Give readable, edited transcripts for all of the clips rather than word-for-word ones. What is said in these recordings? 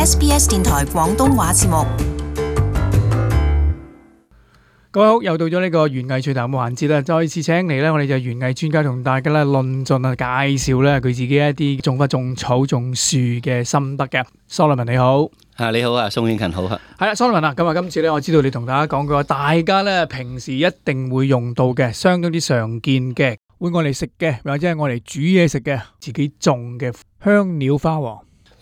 SBS 電台廣東話節目。各位好，又到咗呢個園藝趣談嘅環節啦，再次請嚟咧，我哋就園藝專家同大家咧論盡啊，介紹咧佢自己一啲種花、種草、種樹嘅心得嘅。Solomon 你好，你好啊，宋永勤好啊。係啦，Solomon啊，咁啊，今次咧我知道你同大家講過，大家咧平時一定會用到嘅，相當之常見嘅，會愛嚟食嘅，或者係愛嚟煮嘢食嘅，自己種嘅香料花王。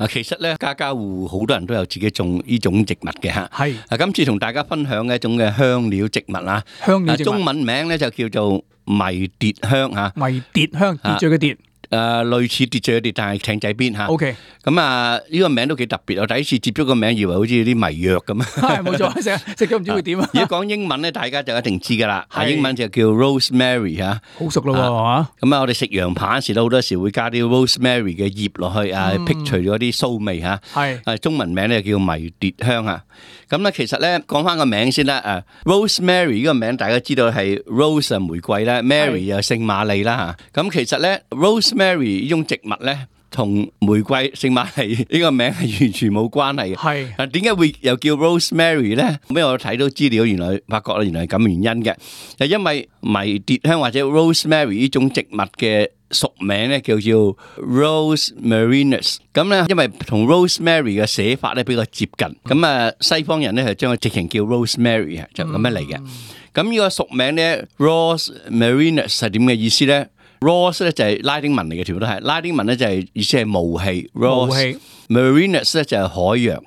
其實咧，家家戶戶好多人都有自己種呢種植物嘅嚇。係。今次同大家分享嘅一種嘅香料植物啊，香料植物。中文名咧就叫做迷迭香嚇。迷迭香，秩序嘅秩。類似秩序嘅秩，但係艇仔邊嚇。OK。咁啊，呢個名都幾特別。我第一次接觸個名，以為好似啲迷藥咁啊。係冇錯，食咗唔知會點啊。如果講英文咧，大家就一定知㗎啦。英文就叫 rosemary 嚇。好熟咯喎嚇。咁啊，我哋食羊扒時都好多時會加啲 rosemary 嘅葉落去啊，剔除咗啲騷味嚇。係。中文名咧叫迷迭香啊。咁咧其實咧講翻個名先啦。rosemary 呢個名大家知道係 rose 玫瑰啦 ，Mary 又聖瑪麗啦嚇。咁其實咧 rosemary 呢種植物咧，同玫瑰、聖瑪麗呢個名係完全冇關係嘅。係。點解會又叫 rosemary 咧？咁我睇到資料，原來發覺原來係咁原因嘅。就因為迷迭香或者 rosemary 呢種植物嘅屬名咧叫做 Rosmarinus， 咁咧因為同 rosemary 嘅寫法咧比較接近，咁啊西方人咧係將佢直情叫 rosemary 啊，就咁樣嚟嘅。咁呢個屬名咧 Rosmarinus 係點嘅意思咧？Ros 咧就係拉丁文嚟嘅，全部都係拉丁文咧就係意思係霧氣。Ros，Marinus 咧就係海洋。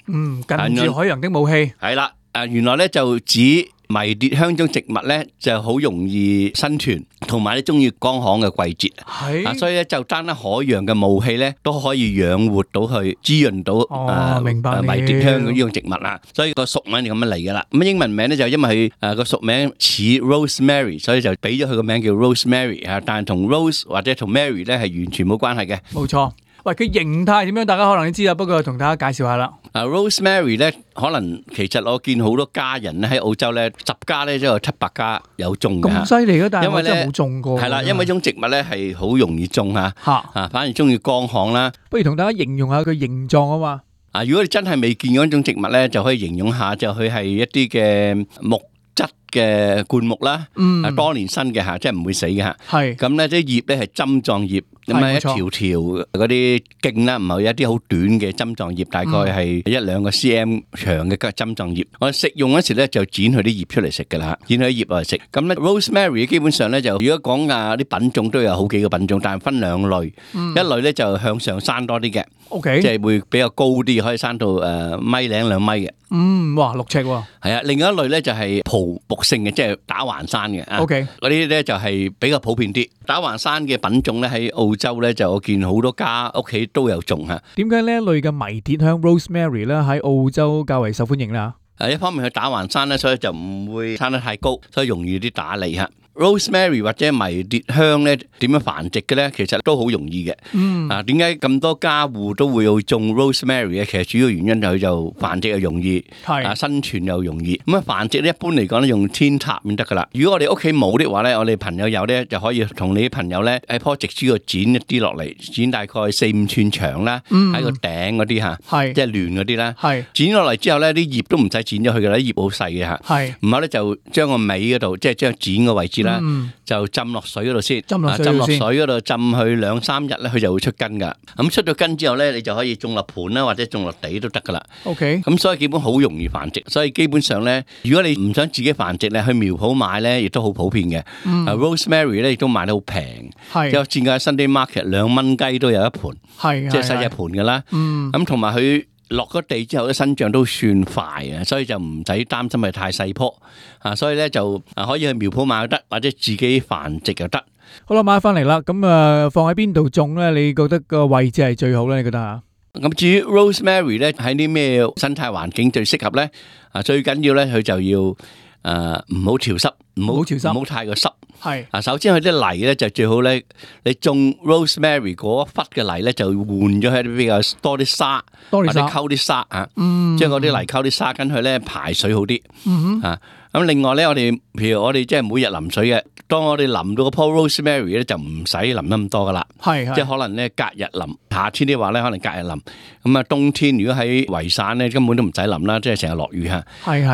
近住海洋的霧氣。係啦，原來咧就指迷迭香種植物咧就好容易生存，同埋咧中意乾旱嘅季節。係。所以咧就單單海洋嘅霧氣咧都可以養活到佢，滋潤到明白迷迭香呢種植物啦。所以個屬名就咁樣嚟噶啦。咁英文名咧就因為佢個屬名似 Rosemary， 所以就俾咗佢個名叫 Rosemary 啊。但係同 Rose 或者同 Mary 咧係完全冇關係嘅。冇錯。喂，佢形態點樣？大家可能都知啦，不過同大家介紹下啦。Rosemary 咧，可能其實我見好多家人咧喺澳洲咧，10家咧都有700家有種嘅。咁犀利嘅，但係我真係冇種過。係啦，因為呢種植物咧係好容易種嚇，反而中意乾旱啦。不如同大家形容下佢形狀啊嘛。如果你真係未見過呢種植物咧，就可以形容下，就佢係一啲嘅木質嘅灌木啦，多年生嘅嚇，即係唔會死嘅嚇。係。咁咧啲葉咧係針狀葉。咁啊，一條條嗰啲莖啦，唔係有一啲好短嘅針狀葉，大概係1-2個 cm 長嘅針狀葉。我食用嗰時咧就剪佢啲葉出嚟食㗎啦，剪佢啲葉落嚟食。咁咧 rosemary 基本上咧就如果講啲品種都有好幾個品種，但係分兩類。一類咧就向上生多啲嘅，OK，即係會比較高啲，可以生到1.0-2米嘅。哇，6尺喎。係啊，另外一類咧就係蒲木性嘅，即係打橫生嘅。OK，嗰啲咧就係比較普遍啲。打橫生嘅品種咧喺澳洲咧就我見好多家屋企都有種嚇。點解呢一類嘅迷迭香 rosemary 咧喺澳洲較為受歡迎咧？一方面佢打橫生咧，所以就唔會生得太高，所以容易啲打理嚇。Rosemary 或者迷迭香咧點樣繁殖嘅咧？其實都好容易嘅。點解咁多家戶都會去種 Rosemary 嘅？其實主要原因就佢就繁殖又容易，生存又容易。咁繁殖咧一般嚟講咧用扦插先得噶啦。如果我哋屋企冇的話咧，我哋朋友有咧就可以同你啲朋友咧喺棵植株度剪一啲落嚟，剪大概4-5寸長啦，喺個頂嗰啲嚇，即係亂嗰啲啦。剪落嚟之後咧，啲葉都唔使剪咗佢噶啦，啲葉好細嘅嚇。然後咧就將個尾嗰度，即係將剪個位置。就浸落水嗰度先，浸落水嗰度浸佢2-3日咧，佢就會出根噶。咁出咗根之後咧，你就可以種落盆啦，或者種落地都得噶啦。OK，咁所以基本好容易繁殖。所以基本上咧，如果你唔想自己繁殖咧，去苗圃買咧，亦都好普遍嘅。Rosemary 咧亦都賣得好平，有見過 Sunday Market 2蚊雞都有一盆，即係細隻盆噶啦。咁同埋佢落咗地之後咧，生長都算快啊，所以就唔使擔心係太細棵啊，所以咧就可以去苗圃買又得，或者自己繁殖又得。好啦，買翻嚟啦，咁放喺邊度種咧？你覺得個位置係最好咧？你覺得啊？咁至於 Rosemary 咧，喺啲咩生態環境最適合咧？最緊要咧，佢就要唔好潮濕，唔好太過濕。係首先佢啲泥咧就最好咧，你種 rosemary 嗰一忽嘅泥咧就換咗喺啲比較多啲沙，或者溝啲沙啊，將嗰啲泥溝啲沙跟佢咧排水好啲。咁另外咧，譬如我哋即係每日淋水嘅，當我哋淋到個棵 rosemary 咧，就唔使淋得咁多噶啦。係即係可能咧隔日淋，夏天啲話咧可能隔日淋。咁啊冬天如果喺維省咧根本都唔使淋啦，即係成日落雨嚇。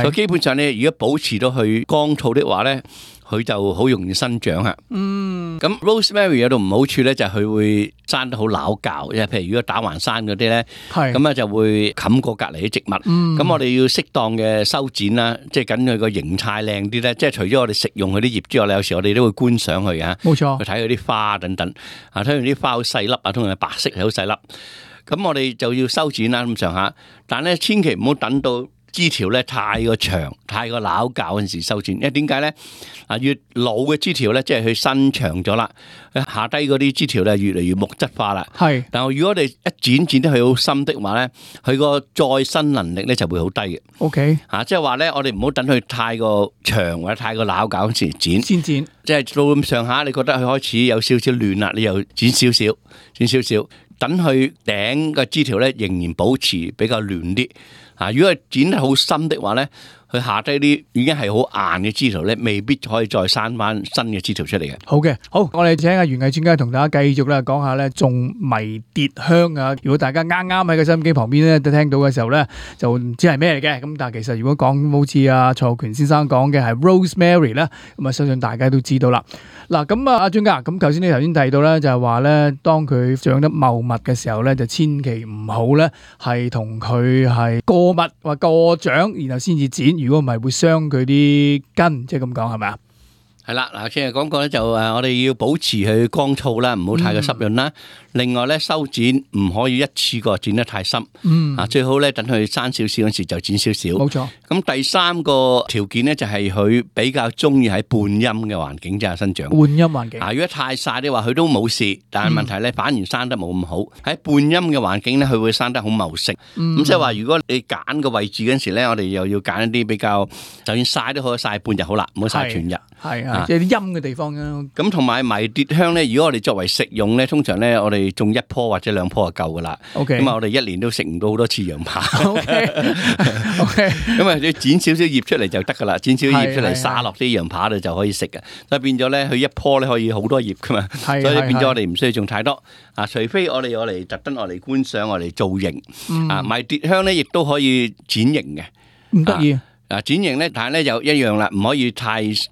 所以基本上咧，如果保持到佢乾燥的話咧，佢就好容易生長嚇。咁 rosemary 有度唔好處咧，就係佢會生得好撈教，即係譬如如果打橫山嗰啲咧，咁啊就會冚過隔離啲植物。咁我哋要適當嘅修剪啦，即係緊佢個形態靚啲咧。即係除咗我哋食用佢啲葉之外咧，有時我哋都會觀賞佢嘅。冇錯，去睇佢啲花等等。睇完啲花好細粒啊，通常係白色係好細粒。咁我哋就要修剪啦咁上下，但係咧千祈唔好等到枝條咧太過長、太過撈教嗰陣時修剪，因為點解咧？越老嘅枝條咧，即係佢伸長咗啦，下低嗰啲枝條咧越嚟越木質化啦。係，但係如果我哋一剪得佢好深的話咧，佢個再生能力咧就會好低嘅。OK，即係話咧，我哋唔好等佢太過長或者太過撈教嗰陣時剪，先剪。即係到咁上下，你覺得佢開始有少少亂啦，你又剪少少，剪少少，等佢頂個枝條咧仍然保持比較亂啲。如果係剪得好深的話咧，佢下低啲已經係好硬嘅枝條咧，未必可以再生翻新嘅枝條出嚟嘅。好嘅，好，我哋請阿園藝專家同大家繼續咧講下咧種迷迭香啊！如果大家啱啱喺個收音機旁邊咧都聽到嘅時候咧，就唔知係咩嚟嘅。咁但係其實如果講好似阿蔡浩權先生講嘅係 rosemary 咧，咁啊相信大家都知道啦。嗱，咁啊阿專家，咁頭先你頭先提到咧，就係話咧，當佢長得茂密嘅時候咧，就千祈唔好咧係同佢係過密或過長，然後先至剪。如果唔係會傷佢啲根，即係咁講係咪啊？係啦，嗱，先係講過咧，就我哋要保持佢乾燥啦，唔好太過濕潤啦。另外咧，修剪唔可以一次過剪得太深，最好咧等佢生少少嗰時就剪少少。冇錯。咁第三個條件咧就係佢比較中意喺半陰嘅環境之下生長。半陰環境。如果太曬嘅話，佢都冇事，但係問題咧反而生得冇咁好。喺半陰嘅環境咧，佢會生得好茂盛。咁即係話，如果你揀個位置嗰時咧，我哋又要揀一啲比較，就算曬都好，曬半日好啦，唔好曬全日。係啊，即係啲陰嘅地方啊。咁同埋迷迭香咧，如果我哋作為食用咧，通常咧我哋種一棵或者兩棵就夠噶啦。咁啊，我哋一年都食唔到好多次羊扒。咁啊，你剪少少葉出嚟就得噶啦，剪少少葉出嚟撒落啲羊扒度就可以食嘅。所以變咗咧，佢一棵咧可以好多葉噶嘛。所以變咗我哋唔需要種太多。除非我哋特登嚟觀賞，我哋造型。迷迭香咧亦都可以剪形嘅。唔得意。剪形咧，但係咧就一樣啦，唔可以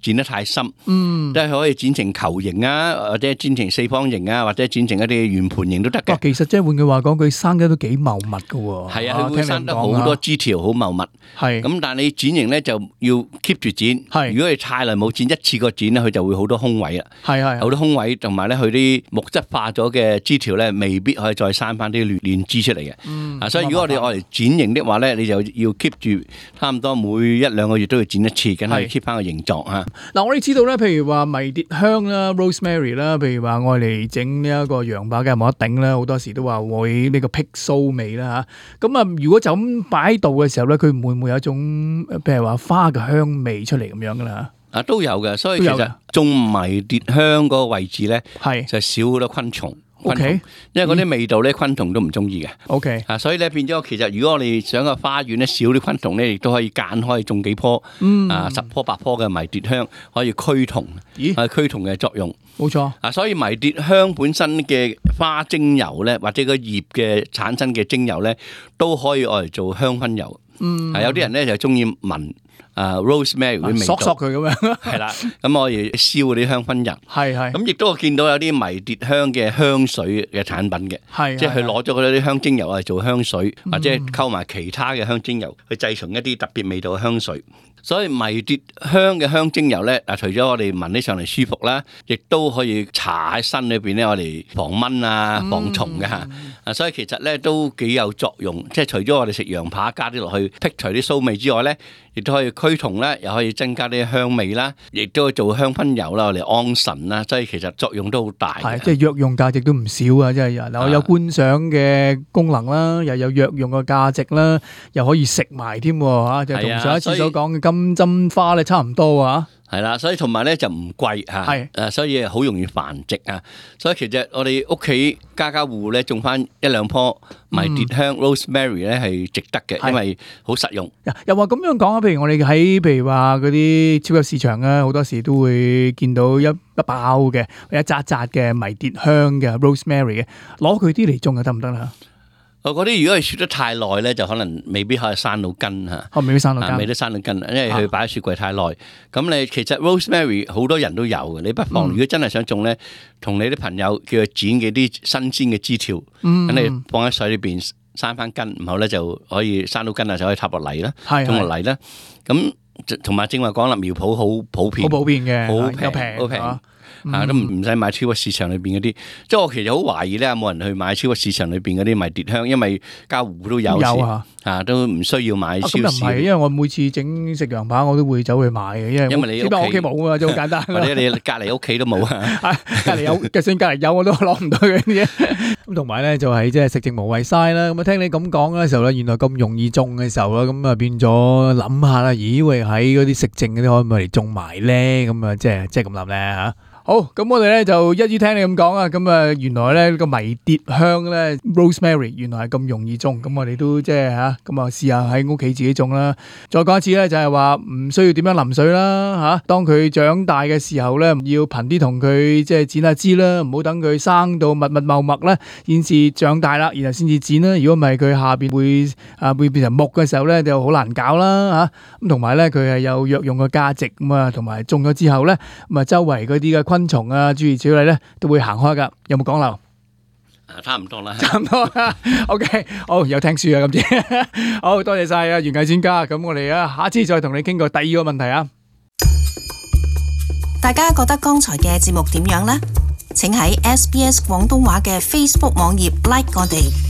剪得太深，即係可以剪成球形啊，或者剪成四方形啊，或者剪成一啲圓盤形都得嘅。其實即係換句話講，佢生得都幾茂密噶喎。係啊，佢會生得好多枝條，好茂密。係咁，但係你剪形咧就要 keep 住剪。係，如果你太耐冇剪，一次過剪咧，佢就會好多空位啦。係係，好多空位，同埋咧佢啲木質化咗嘅枝條咧，未必可以再生翻啲嫩枝出嚟嘅。所以如果我哋愛嚟剪形的話咧，你就要 keep 住差唔多每一兩個月都要剪一次，梗係 keep 翻個形狀啊！嗱，我哋知道咧，譬如話迷迭香啦、rosemary 啦，譬如話愛嚟整呢一個羊扒嘅冇得頂啦，好多時都話會呢個辟騷味啦嚇。咁啊，如果就咁擺喺度嘅時候咧，佢會唔會有一種譬如話花嘅香味出嚟咁樣噶啦？都有嘅，所以其實種迷迭香嗰個位置咧，就少好多昆蟲。OK， 因為嗰啲味道咧，昆蟲都唔中意嘅。OK，所以咧變咗，其實如果我哋想個花園咧少啲昆蟲咧，亦都可以間開種幾棵10棵8棵嘅迷迭香，可以驅蟲，驅蟲嘅作用。冇錯。所以迷迭香本身嘅花精油咧，或者個葉嘅產生嘅精油咧，都可以愛嚟做香薰油。有啲人咧就中意聞。rosemary 啲味道，索佢咁樣，係啦，咁我哋燒嗰啲香薰人，係，咁亦都我見到有啲迷迭香嘅香水嘅產品嘅，係，即係佢攞咗嗰啲香精油嚟做香水，或者溝埋其他嘅香精油去製成一啲特別味道嘅香水。所以迷迭香嘅香精油咧，除咗我哋聞起上嚟舒服啦，亦都可以搽喺身裏邊咧，我哋防蚊啊、防蟲嘅嚇。所以其實咧都幾有作用，即係除咗我哋食羊扒加啲落去剔除啲騷味之外咧，亦都可以驅蟲啦，又可以增加啲香味啦，亦都可以做香薰油啦，我哋安神啦。所以其實作用都好大。係，即係藥用價值都唔少啊！即係嗱，有觀賞嘅功能啦，又有藥用嘅價值啦，又可以食埋添嚇，就同上一次所講嘅金針花咧差唔多啊！係啦，所以同埋咧就唔貴嚇，係所以好容易繁殖啊。所以其實我哋屋企家家戶戶咧種翻一兩棵迷迭香 rosemary 咧係值得嘅，因為好實用。又話咁樣講啊，譬如我哋喺譬如話嗰啲超級市場啊，好多時都會見到一包嘅一紮紮嘅迷迭香嘅 rosemary 嘅，攞佢啲嚟種就得唔得啦？嗰啲如果係雪得太耐咧，就可能未必可以生到根嚇。未必生到根，未得生到根，因為佢擺喺雪櫃太耐。咁你其實 rosemary 好多人都有嘅，你不妨如果真係想種咧，同你啲朋友叫佢剪幾啲新鮮嘅枝條，咁你放喺水裏邊生翻根，然後咧就可以生到根啊，就可以插落泥啦，種落泥啦。咁同埋正話講啦，苗圃好普遍，好普遍嘅，好平，好平。都唔使買超級市場裏邊嗰啲，即係我其實好懷疑咧，有冇人去買超級市場裏邊嗰啲迷迭香，因為家戶都有時，都唔需要買超市。咁又唔係，因為我每次整食羊排，我都會走去買嘅，因為你屋企冇啊嘛，就好簡單。或者你隔離屋企都冇啊，隔離有，就算隔離有，我都攞唔到嘅啲嘢。咁同埋咧就係即係食剩無謂嘥啦。咁啊聽你咁講嘅時候咧，原來咁容易種嘅時候啦，咁啊變咗諗下啦，咦喂喺嗰啲食剩嗰啲可唔可以嚟種埋咧？咁啊即係咁諗咧嚇。好，咁我哋咧就一於聽你咁講啊，咁啊原來咧個迷迭香咧 rosemary 原來係咁容易種，咁我哋都即係嚇，咁啊試下喺屋企自己種啦。再講一次咧，就係話唔需要點樣淋水啦嚇。當佢長大嘅時候咧，要頻啲同佢即係剪下枝啦，唔好等佢生到密密茂密咧，先至長大啦，然後先至剪啦。如果唔係佢下邊會變成木嘅時候咧，就好難搞啦嚇。咁同埋咧佢係有藥用嘅價值咁啊，同埋種咗之後咧，咁啊周圍嗰啲嘅昆蟲啊，諸如此類咧，都會行開噶。有冇講漏？差唔多啦，差唔多啦。OK， 好，有聽書啊，今次好多謝晒啊，園藝專家。咁我哋下次再同你傾過第二個問題啊。大家覺得剛才嘅節目點樣呢？請喺SBS 廣東話嘅 Facebook 網頁 like 我哋。